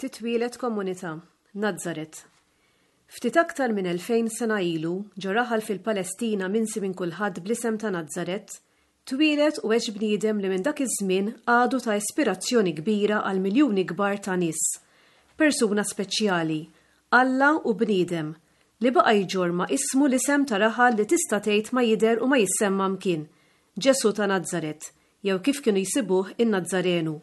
Titwieled komunità, Nazaret. Ftit aktar minn 2000 sena ilu, ġo raħal fil-Palestina minsi minn kulħadd bl-isem ta' Nazaret, twieled u għex bniedem li minn dak iż-żmien għadu ta' ispirazzjoni kbira għal miljuni kbar ta' nies. Persuna speċjali, Alla u bniedem, li baqa' jġorr ma' ismu l-isem ta' raħal li tista' tgħid ma jidher u ma jissemma mkien, Ġesù ta' Nazaret, jew kif kienu jsibuh in-Nazzarenu.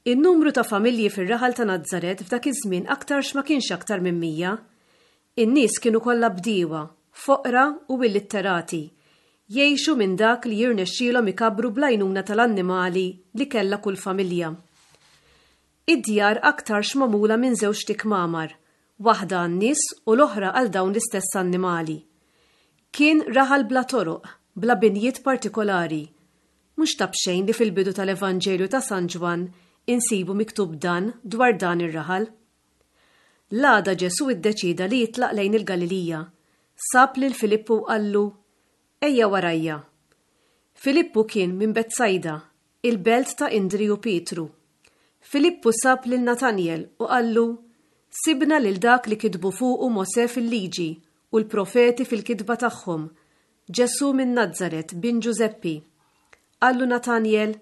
In-numru ta' familji fir-raħal ta' Nazaret f'dak iż-żmien aktarx ma kienx aktar minn 100. In-nies kienu kollha bdiewa, foqra u illitterati, jgħixu minn dak li jirnexxielhom ikabbru bl-għajnuna tal-annimali li kellha kull familja. Id-djar aktarx magħmula minn żewġt ikmamar, waħda għan-nies u l-oħra għal dawn l-istess annimali. Kien raħal bla toroq, bla binjiet partikolari, Mhux ta' b'xejn li fil-bidu tal-Evanġelju ta' San Ġwann insibu miktub dan dwar dan ir-raħal. L-għada Ġesù iddeċieda li jitlaq lejn il-Galilija. Sab lil Filippu u qallu, Ejja warajja. Filippu kien minn Betsajda, il-belt ta' Indri u Pietru. Filippu sab lil Natanjel u qallu, Sibna lil dak li kitbu fuqu Mosè fil-Liġi u l-profeti fil-kitba tagħhom, Ġesù minn Nazaret, bin Ġużeppi. Qallu Natanjel,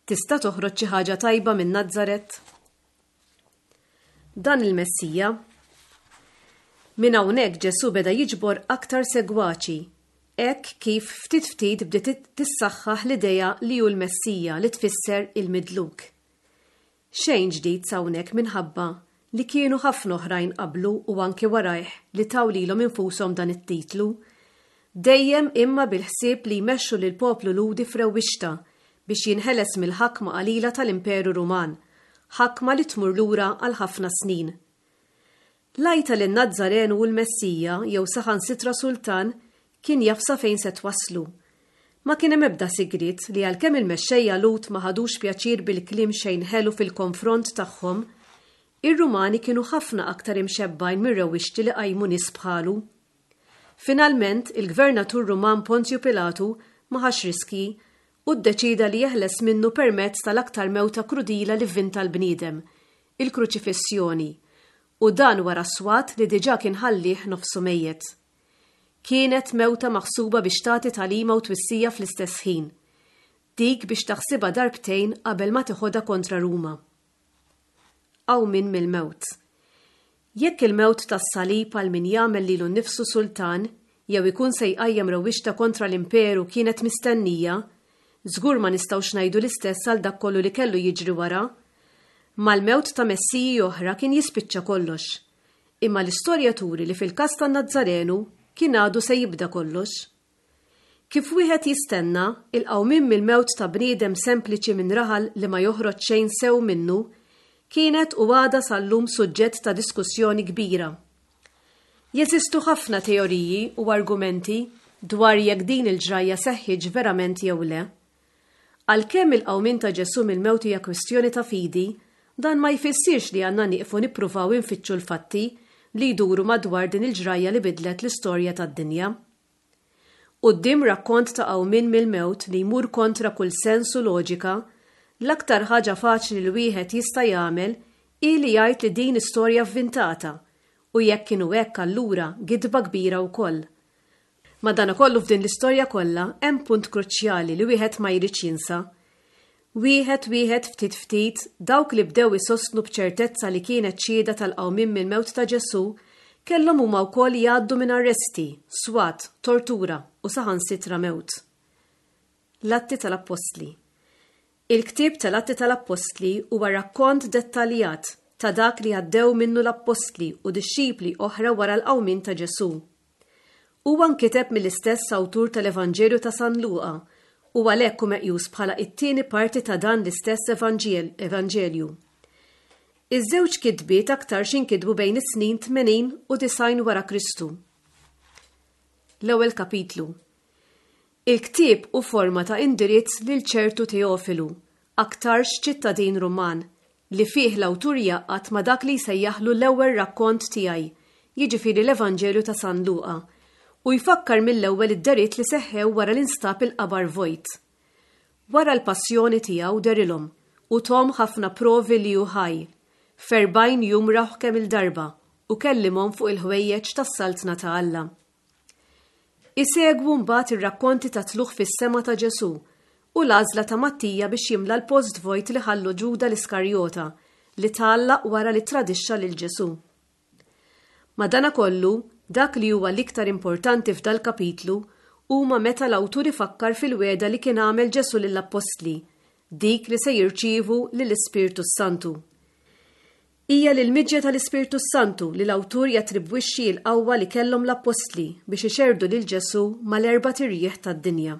Tista' toħroġ xi ħaġa tajba minn Nazaret? Dan il-Messija. Minn hawnhekk Ġesù beda jiġbor aktar segwaċi, hekk kif ftit ftit bdiet tissaħħaħ l-idea li hu l-Messija li tfisser il-midluk. Xejn ġdid s'hawnhekk minħabba li kienu ħafna oħrajn qablu u anki warajh li taw lilhom infushom dan it-titlu. Dejjem imma bil-ħsieb li jmexxu lill-poplu Lhudi f'rewwixta biex jinħeles mill-ħakma qalila tal-Imperu Ruman, ħakma li tmur lura għal ħafna snin. L-għajta li n-Nazzarenu hu l-Messija jew saħansitra sultan kien jaf sa fejn se twasslu. Ma kien hemm ebda sigriet li għalkemm il-mexxejja Lhud ma ħadux pjaċir bil-kliem xejn ħelu fil-konfront tagħhom, ir-Rumani kienu ħafna aktar imxebbgħin mir-rewwixti li qajmu nies bħalu. Finalment, il-gvernatur Ruman Ponzju Pilatu ma ħax riskji u ddeċieda li jeħles minnu permezz tal-aktar mewta krudila li vvinta l-bniedem, il-kruċifissjoni, u dan wara swat li diġà kien ħallieh nofsu mejjet. Kienet mewta maħsuba biex tagħti tagħlima u twissija fl-istess ħin. Dik biex taħsibha darbtejn qabel ma teħodha kontra Ruma. Qawmien mill-mewt. Jekk il-mewt tas-salib għal min jagħmel lilu nnifsu sultan jew ikun se jqajjem rewwixta kontra l-imperu kienet mistennija, żgur ma nistgħux ngħidu l-istess għal dak kollu li kellu jiġri wara. Mal-mewt ta' messiji oħra kien jispiċċa kollox. Imma l-istorja turi li fil-każ tan-Nazzarenu kien għadu se jibda kollox. Kif wieħed jistenna, il-qawmien mill-mewt ta' bniedem sempliċi minn raħal li ma joħroġ xejn sew minnu, kienet u għadha sal-lum suġġett ta' diskussjoni kbira. Jeżistu ħafna teoriji u argumenti dwar jekk din il-ġrajja seħħitx verament jew le. Għalkemm il-qawmien ta' Ġesù mill-mewt hija kwistjoni ta' fidi, dan ma jfissirx li għandna nieqfu nippruvaw infittxu l-fatti li jduru madwar din il-ġrajja li bidlet l-istorja tad-dinja. Quddiem rakkont ta' qawmien mill-mewt li jmur kontra kull sens u loġika, l-aktar ħaġa faċli li wieħed jista' jagħmel hi li jgħid li din istorja vvintata, u jekk inhu hekk allura gidba kbira wkoll. Madanakollu f'din l-istorja kollha hemm punt kruċjali li wieħed ma jridx jinsa. Wieħed wieħed ftit ftit, dawk li bdew isostnu b'ċertezza li kienet xhieda tal-qawmien mill-mewt ta' Ġesù kellhom huma wkoll jgħaddu minn arresti, swat, tortura u saħansitra mewt. L-Atti tal-Appostli Il-ktieb tal-Atti tal-Appostli huwa rakkont dettaljat ta' dak li għaddew minnu l-appostli u dixxipli oħra wara l-qawmien ta' Ġesù. Huwa nkiteb mill-istess awtur tal-Evanġelju ta' San Luqa u għalhekk hu meqjus bħala t-tieni parti ta' dan l-istess Evanġelju. Iż-żewġ kitbiet aktarx inkitbu bejn is-snin 80 u 90 wara Kristu. L-ewwel kapitlu. Il-ktieb hu forma ta' indirizz lil ċertu Teofilu, aktarx ċittadin Ruman, li fih l-awtur jgħaqqad ma' dak li jsejjaħlu l-ewwel rakkont tiegħi, jiġifieri l-Evanġelju ta' San Luqa, u jfakkar mill-ewwel id-dehriet li seħħew wara li nstab il-qabar vojt. Wara l-passjoni tiegħu dehrilhom u thom ħafna provi li hu ħaj. F'erbgħin jum rawh kemm-il darba u kellimhom fuq il-ħwejjeġ tas-Saltna ta' Alla. Isegwu mbagħad ir-rakkonti tat-tlugħ fis-sema ta' Ġesù u l-għażla ta' Mattija biex jimla l-post vojt li ħallu Ġuda l-Iskarjota li tgħallaq wara li ttradixxa lil Ġesù. Madanakollu, dak li huwa l-iktar importanti f'dal-kapitlu huma meta l-awtur ifakkar fil-wegħda li kien għamel Ġesù lill-appostli, dik li se jirċievu lill-Ispirtu s-Santu. Hija lill-miġja tal-Ispirtu s-Santu li l-awtur jattribwixxi l-qawwa li kellhom l-appostli biex ixerrdu lil Ġesù mal-erbat irjieħ tad-dinja.